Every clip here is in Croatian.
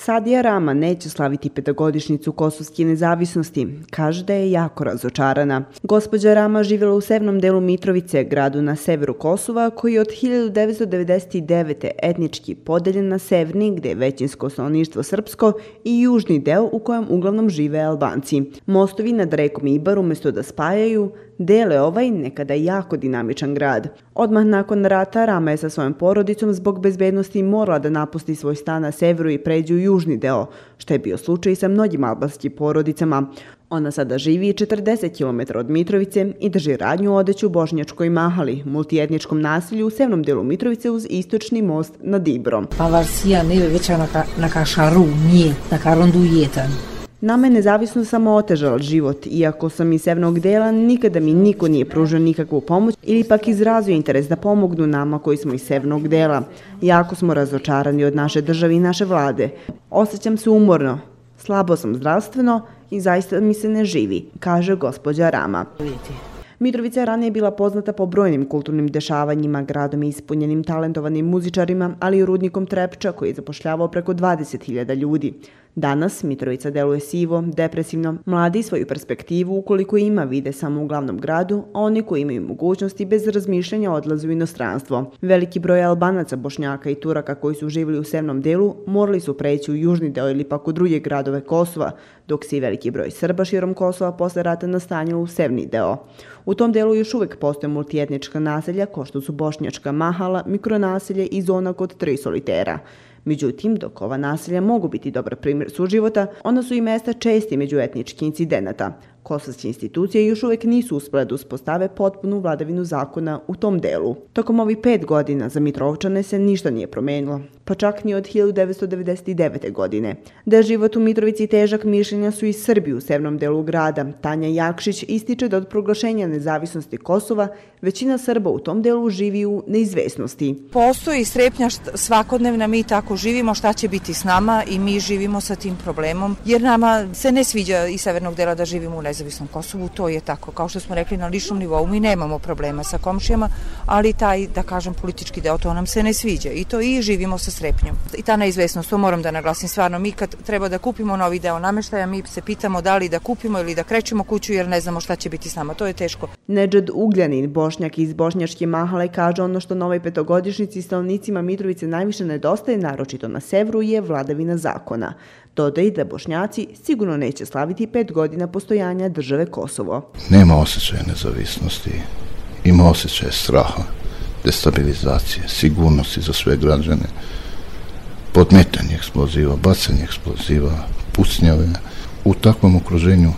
Sadija Rama neće slaviti petogodišnjicu kosovske nezavisnosti. Kaže da je jako razočarana. Gospođa Rama živjela u severnom delu Mitrovice, gradu na severu Kosova, koji je od 1999. etnički podeljen na severni, gdje je većinsko stanovništvo srpsko, i južni deo u kojem uglavnom žive Albanci. Mostovi nad rekom Ibar umjesto da spajaju, dele ovaj nekada jako dinamičan grad. Odmah nakon rata Rama je sa svojom porodicom zbog bezbednosti morala da napusti svoj stan na severu i pređe u južni deo, što je bio slučaj sa mnogim albanskim porodicama. Ona sada živi 40 km od Mitrovice i drži radnju odeću u Bošnjačkoj Mahali, multietničkom naselju u severnom delu Mitrovice uz istočni most nad Ibrom. Nama je nezavisno samo otežala život, iako sam iz severnog dela, nikada mi niko nije pružio nikakvu pomoć ili pak izrazio interes da pomognu nama koji smo iz severnog dela. Jako smo razočarani od naše države i naše vlade. Osjećam se umorno, slabo sam zdravstveno i zaista mi se ne živi, kaže gospođa Rama. Mitrovica je ranije bila poznata po brojnim kulturnim dešavanjima, gradom ispunjenim talentovanim muzičarima, ali i rudnikom Trepča koji je zapošljavao preko 20.000 ljudi. Danas Mitrovica deluje sivo, depresivno, mladi svoju perspektivu ukoliko ima vide samo u glavnom gradu, a oni koji imaju mogućnosti bez razmišljanja odlaze u inostranstvo. Veliki broj Albanaca, Bošnjaka i Turaka koji su živjeli u severnom delu morali su preći u južni deo ili pak u druge gradove Kosova, dok se i veliki broj Srba širom Kosova posle rata nastanilo u severni deo. U tom delu još uvijek postoje multietnička naselja kao što su Bošnjačka Mahala, mikronaselje i zona kod 3 solitera. Međutim, dok ova naselja mogu biti dobar primjer suživota, ona su i mesta česti međuetničkih incidenata. Kosovske institucije još uvijek nisu uspjele da uspostave potpunu vladavinu zakona u tom delu. Tokom ovih 5 godina za Mitrovčane se ništa nije promenilo, pa čak ni od 1999. godine. Da je život u Mitrovici težak, mišljenja su i Srbi u severnom delu grada. Tanja Jakšić ističe da od proglašenja nezavisnosti Kosova većina Srba u tom delu živi u neizvesnosti. Postoji strepnja svakodnevna, mi tako živimo, šta će biti s nama i mi živimo sa tim problemom, jer nama se ne sviđa iz severnog dela da živimo u nezavisnom Kosovu, to je tako. Kao što smo rekli, na ličnom nivou mi nemamo problema sa komšijama, ali taj, da kažem, politički deo, to nam se ne sviđa i to i živimo sa strepnjom. I ta neizvesnost, to moram da naglasim, stvarno mi kad treba da kupimo novi deo nameštaja, mi se pitamo da li da kupimo ili da krećemo kuću jer ne znamo šta će biti s nama, to je teško. Nedžad Ugljanin, Bošnjak iz Bošnjačke Mahale, kaže ono što novoj petogodišnjici stanovnicima Mitrovice najviše nedostaje, naročito na severu, je vladavina zakona. Dodaje da Bošnjaci sigurno neće slaviti 5 godina postojanja države Kosovo. Nema osjećaja nezavisnosti, ima osjećaja straha, destabilizacije, sigurnosti za sve građane, podmetanje eksploziva, bacanje eksploziva, pucnjave. U takvom okruženju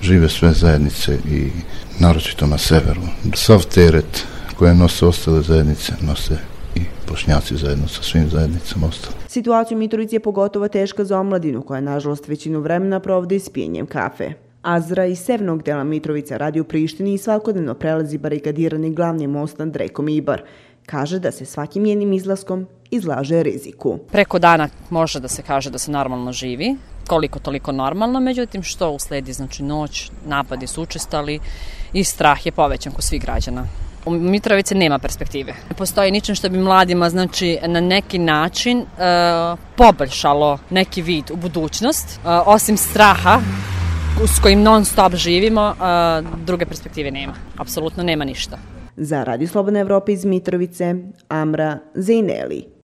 žive sve zajednice i naročito na severu. Sav teret koje nose ostale zajednice nose i Bošnjaci zajedno sa svim zajednicama ostali. Situacija u Mitrovici je pogotovo teška za omladinu koja nažalost većinu vremena provodi s pijenjem kafe. Azra iz severnog dela Mitrovica radi u Prištini i svakodnevno prelazi barikadirani glavni most nad rekom Ibar. Kaže da se svakim njenim izlaskom izlaže riziku. Preko dana može da se kaže da se normalno živi, koliko toliko normalno, međutim što usledi, znači noć, napadi su učestali i strah je povećan kod svih građana. U Mitrovici nema perspektive. Ne postoji ničem što bi mladima, znači, na neki način poboljšalo neki vid u budućnost, osim straha s kojim non stop živimo, druge perspektive nema. Apsolutno nema ništa. Za Radio Slobodna Evropa iz Mitrovice, Amra Zejneli.